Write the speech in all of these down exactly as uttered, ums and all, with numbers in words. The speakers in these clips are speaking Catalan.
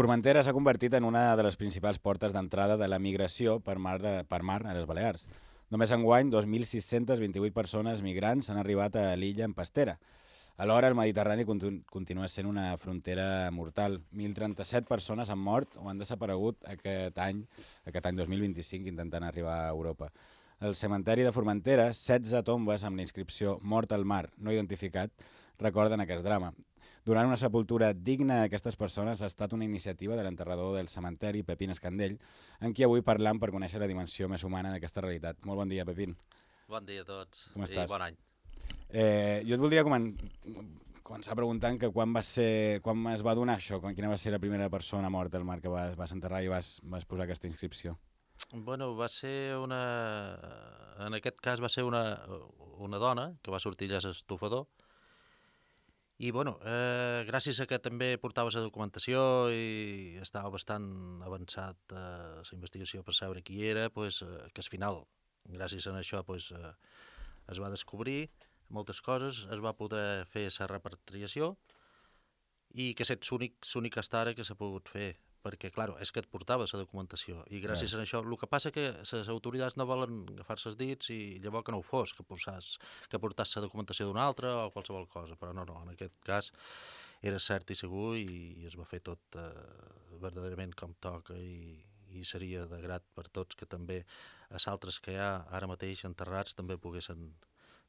Formentera s'ha convertit en una de les principals portes d'entrada de la migració per mar, per mar a les Balears. Només enguany, dos mil sis-cents vint-i-vuit persones migrants han arribat a l'illa en pastera. Alhora, el Mediterrani continu continua sent una frontera mortal. mil trenta-set persones han mort o han desaparegut aquest any, aquest any dos mil vint-i-cinc, intentant arribar a Europa. Al cementeri de Formentera, setze tombes amb la inscripció Mort al mar, no identificat, recorden aquest drama. Durant una sepultura digna d'aquestes persones ha estat una iniciativa de l'enterrador del cementeri, Pepín Escandell, en qui avui parlam per conèixer la dimensió més humana d'aquesta realitat. Molt bon dia, Pepín. Bon dia a tots. Com estàs? I bon any. Eh, jo et voldria comen començar preguntant que quan, va ser, quan es va donar això, quan, quina va ser la primera persona morta al mar que vas, vas enterrar i vas, vas posar aquesta inscripció? Bueno, va ser una... En aquest cas va ser una, una dona que va sortir allà a l'estufador i, bueno, eh, gràcies a que també portava la documentació i estava bastant avançat eh, la investigació per saber qui era, pues, eh, que al final, gràcies a això, pues, eh, es va descobrir moltes coses, es va poder fer la repatriació i que és l'únic hasta ara que s'ha pogut fer, perquè, clar, és que et portava la documentació i gràcies a això, el que passa que les autoritats no volen agafar-se els dits i llavors que no ho fos, que portàs, que portàs la documentació d'una altra o qualsevol cosa, però no, no, en aquest cas era cert i segur i, i es va fer tot eh, verdaderament com toca i, i seria de grat per tots que també els altres que hi ha ara mateix enterrats també poguessin,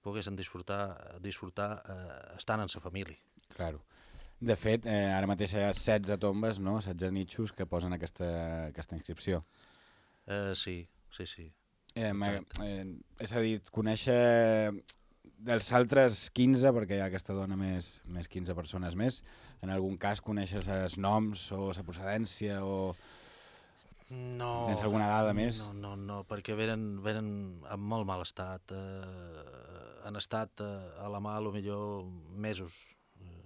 poguessin disfrutar, disfrutar eh, estant en sa família. Claro. De fet, eh, ara mateix hi ha setze tombes, no? setze nitxos que posen aquesta, aquesta inscripció. Eh, sí, sí, sí. Eh, eh, és a dir, conèixer dels altres quinze, perquè hi ha aquesta dona més, més quinze persones més, en algun cas coneixes els noms o la procedència o... No, tens alguna dada més? No, no, no, perquè venen, venen en molt mal estat. Eh, han estat eh, a la mà, potser mesos. Eh,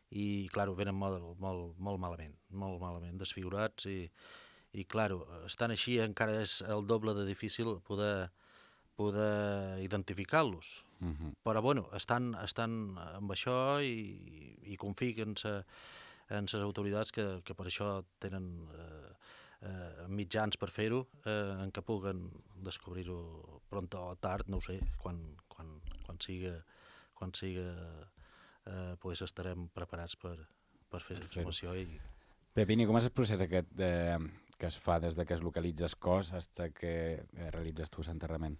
I, clar, venen molt, molt, molt malament, molt malament, desfigurats i, i clar, estan així encara és el doble de difícil poder, poder identificar-los. Uh -huh. Però, bueno, estan, estan amb això i, i confio en les autoritats que, que per això tenen... Eh, Eh, mitjans per fer-ho, eh, en què puguen descobrir-ho pront o tard, no ho sé, quan, quan, quan siga, quan siga eh, pues estarem preparats per, per fer la informació. I... Pepín, com és el procés aquest de, que es fa des de que es localitza el cos fins que eh, realitzes tu l'enterrament?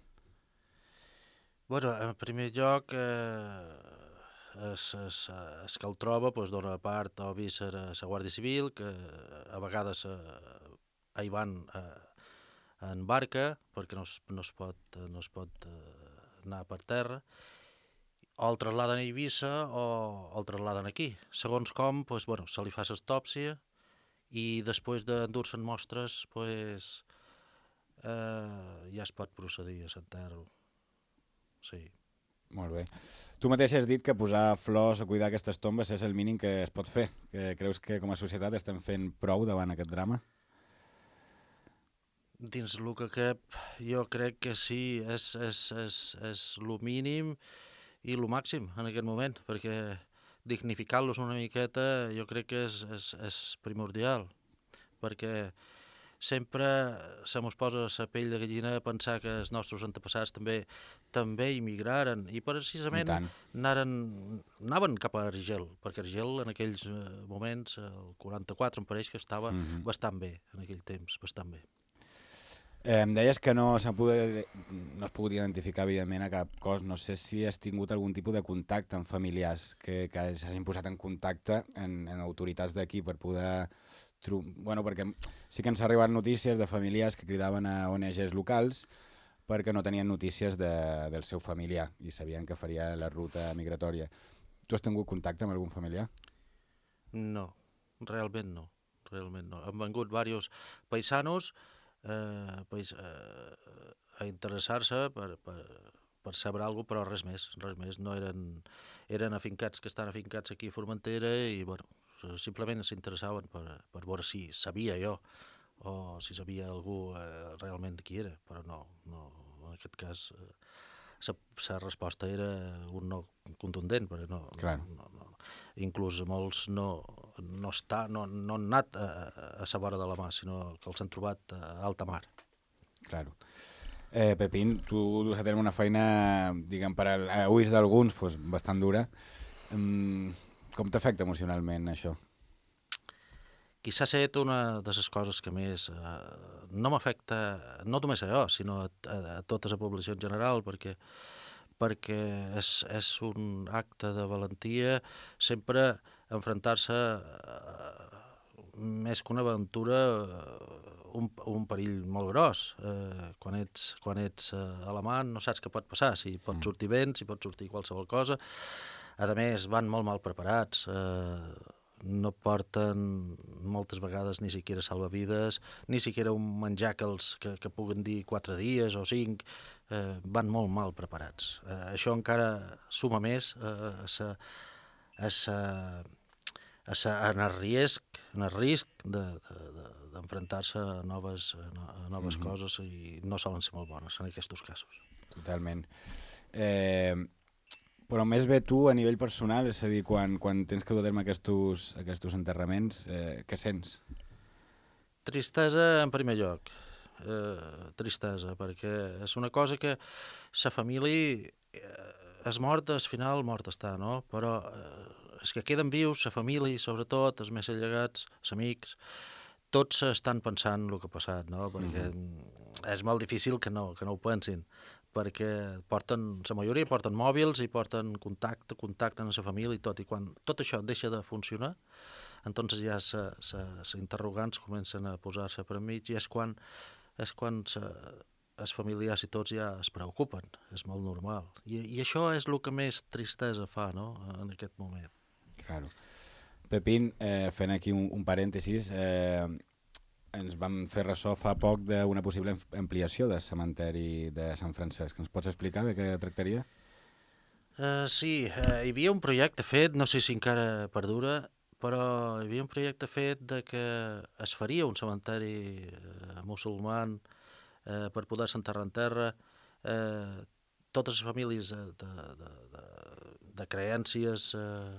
Bueno, en primer lloc, eh, es, es, es que el troba pues, dona part o avís a la Guàrdia Civil, que a vegades eh, hi van eh, en barca perquè no es, no es pot, no es pot eh, anar per terra, o el trasladen a Eivissa o el trasladen aquí. Segons com, pues, bueno, se li fa l'autòpsia i després d'endur-se'n mostres pues, eh, ja es pot procedir a s'enterro. Sí. Molt bé. Tu mateix has dit que posar flors a cuidar aquestes tombes és el mínim que es pot fer. Que creus que com a societat estem fent prou davant aquest drama? Dins el que cap, jo crec que sí, és, és, és, és el mínim i el màxim en aquest moment, perquè dignificar-los una miqueta jo crec que és, és, és primordial, perquè sempre se mos posa la pell de gallina a pensar que els nostres antepassats també també immigraren i precisament I anaren, anaven cap a Argel, perquè Argel en aquells moments, el quaranta-quatre em pareix que estava mm -hmm. bastant bé, en aquell temps, bastant bé. Eh, em deies que no s'ha pogut, no has pogut identificar, evidentment, a cap cos. No sé si has tingut algun tipus de contacte amb familiars, que, que s'hagin posat en contacte en, en autoritats d'aquí per poder... Bueno, perquè sí que ens ha arribat notícies de familiars que cridaven a O N Ges locals perquè no tenien notícies de, del seu familiar i sabien que faria la ruta migratòria. Tu has tingut contacte amb algun familiar? No, realment no. Realment no. Han vengut diversos paisanos Eh, pues, eh, a interessar-se per, per, per saber alguna cosa, però res més, res més. No eren, eren afincats que estan afincats aquí a Formentera i bueno, simplement s'interessaven per, per veure si sabia jo o si sabia algú eh, realment qui era, però no, no en aquest cas eh, la resposta era un no contundent, perquè no, claro. no, no, inclús molts no, no, està, no, no han anat a, a la vora de la mar, sinó que els han trobat a alta mar. Claro. Eh, Pepín, tu dus a terme una feina, diguem, per a, a ulls d'alguns, pues, bastant dura. Mm, com t'afecta emocionalment això? Quizà ha estat una de les coses que més eh, no m'afecta, no només a jo, sinó a, a, a tota la població en general, perquè, perquè és, és un acte de valentia sempre enfrontar-se eh, més que una aventura un, un perill molt gros. Eh, quan ets, quan ets eh, a la mar no saps què pot passar, si pot sortir vent, si pot sortir qualsevol cosa. A més, van molt mal preparats, eh, no porten moltes vegades ni siquiera salvavides, ni siquiera un menjar que, els, que, que puguen dir quatre dies o cinc, eh, van molt mal preparats. Eh, això encara suma més eh, a sa, a sa, a sa, en el risc, en el risc de, de, de, d'enfrontar-se a noves, a noves mm-hmm. coses i no solen ser molt bones en aquests casos. Totalment. Eh... Però més bé tu a nivell personal, és a dir, quan, quan tens que dur a terme aquests, aquests enterraments, eh, què sents? Tristesa en primer lloc, eh, tristesa, perquè és una cosa que la família eh, és morta, al final mort està, no? Però eh, els que queden vius, la família, sobretot, els més allegats, els amics, tots estan pensant el que ha passat, no? Perquè mm-hmm. és molt difícil que no, que no ho pensin, perquè porten, la majoria porten mòbils i porten contacte, contacte amb la família i tot, i quan tot això deixa de funcionar, entonces ja els interrogants comencen a posar-se per mig i és quan, és quan els familiars i tots ja es preocupen, és molt normal. I, i això és el que més tristesa fa, no?, en aquest moment. Claro. Pepín, eh, fent aquí un, un parèntesis, eh, ens vam fer ressò fa poc d'una possible ampliació del cementeri de Sant Francesc. Ens pots explicar de què tractaria? Uh, sí, uh, hi havia un projecte fet, no sé si encara perdura, però hi havia un projecte fet de que es faria un cementeri uh, musulman uh, per poder-se enterrar en terra. Uh, totes les famílies de, de, de, de, de creències uh,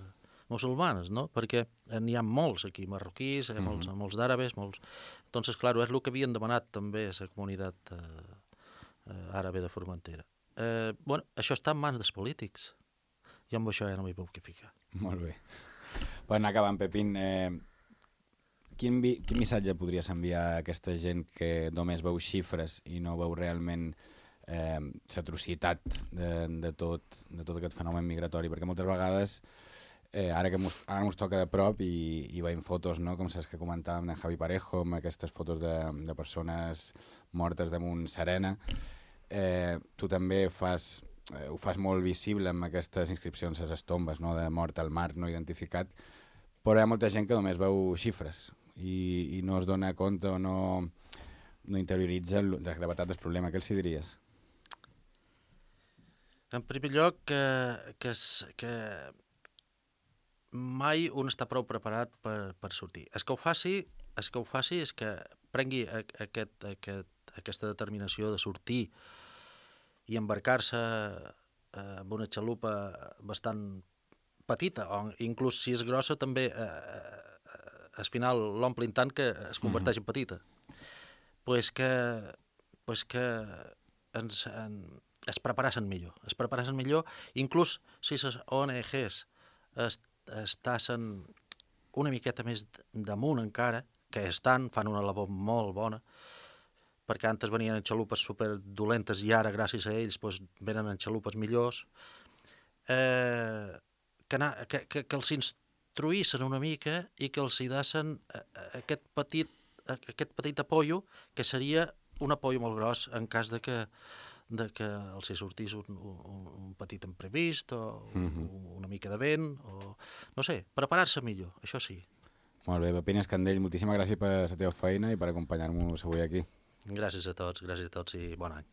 musulmanes, no? Perquè n'hi ha molts aquí, marroquís, eh, molts, mm-hmm. molts d'àrabes, molts... Entonces, claro, és el que havien demanat també la comunitat eh, eh, àrabe de Formentera. Eh, bueno, això està en mans dels polítics. Jo amb això ja no m'hi puc ficar. Molt bé. Per anar acabant, Pepín, eh, quin, vi, quin missatge podries enviar a aquesta gent que només veu xifres i no veu realment eh, l'atrocitat de, de, tot, de tot aquest fenomen migratori? Perquè moltes vegades... Eh, ara que mos, ara mos toca de prop i, i veiem fotos, no? Com saps que comentàvem de Javi Parejo, amb aquestes fotos de, de persones mortes damunt Serena. Eh, tu també fas, eh, ho fas molt visible amb aquestes inscripcions a les tombes, no? De mort al mar no identificat, però hi ha molta gent que només veu xifres i, i no es dona compte o no, no interioritza la gravetat del problema. Què els hi diries? En primer lloc, que, que, que mai un està prou preparat per, per sortir. El que ho faci, el que ho faci és que prengui aquest, aquest, aquesta determinació de sortir i embarcar-se eh, amb una xalupa bastant petita, o inclús si és grossa també eh, eh, al final l'omplin tant que es converteix en petita. Pues que, pues que ens, en, es preparassen millor. Es preparassen millor, inclús si les O N Ges es estassen una miqueta més damunt encara, que estan, fan una labor molt bona, perquè antes venien en xalupes superdolentes i ara, gràcies a ells, doncs, venen en xalupes millors, eh, que, na, que, que, que els instruïssin una mica i que els hi dessen aquest petit, aquest petit apoyo, que seria un apoyo molt gros en cas de que de que els hi sortís un, un, un petit imprevist o mm-hmm. una mica de vent, o no sé, preparar-se millor, això sí. Molt bé, Pepín Escandell, moltíssimes gràcies per la teva feina i per acompanyar-nos avui aquí. Gràcies a tots, gràcies a tots i bon any.